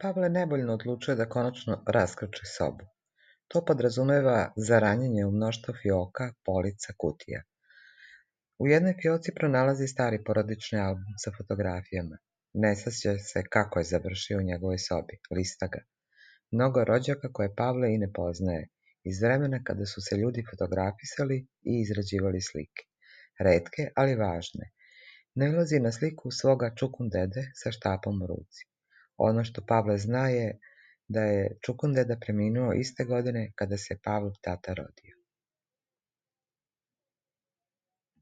Pavle nevoljno odlučuje da konačno raskrči sobu. To podrazumeva zaranjanje u mnoštvo fioka, polica, kutija. U jednoj fioci pronalazi stari porodični album sa fotografijama. Ne sjeća se kako je završio u njegovoj sobi, lista ga. Mnogo rođaka koje Pavle i ne poznaje, iz vremena kada su se ljudi fotografisali i izrađivali slike. Retke, ali važne. Nailazi na sliku svoga čukundede sa štapom u ruci. Ono što Pavle zna je da je čukundeda preminuo iste godine kada se Pavlov tata rodio.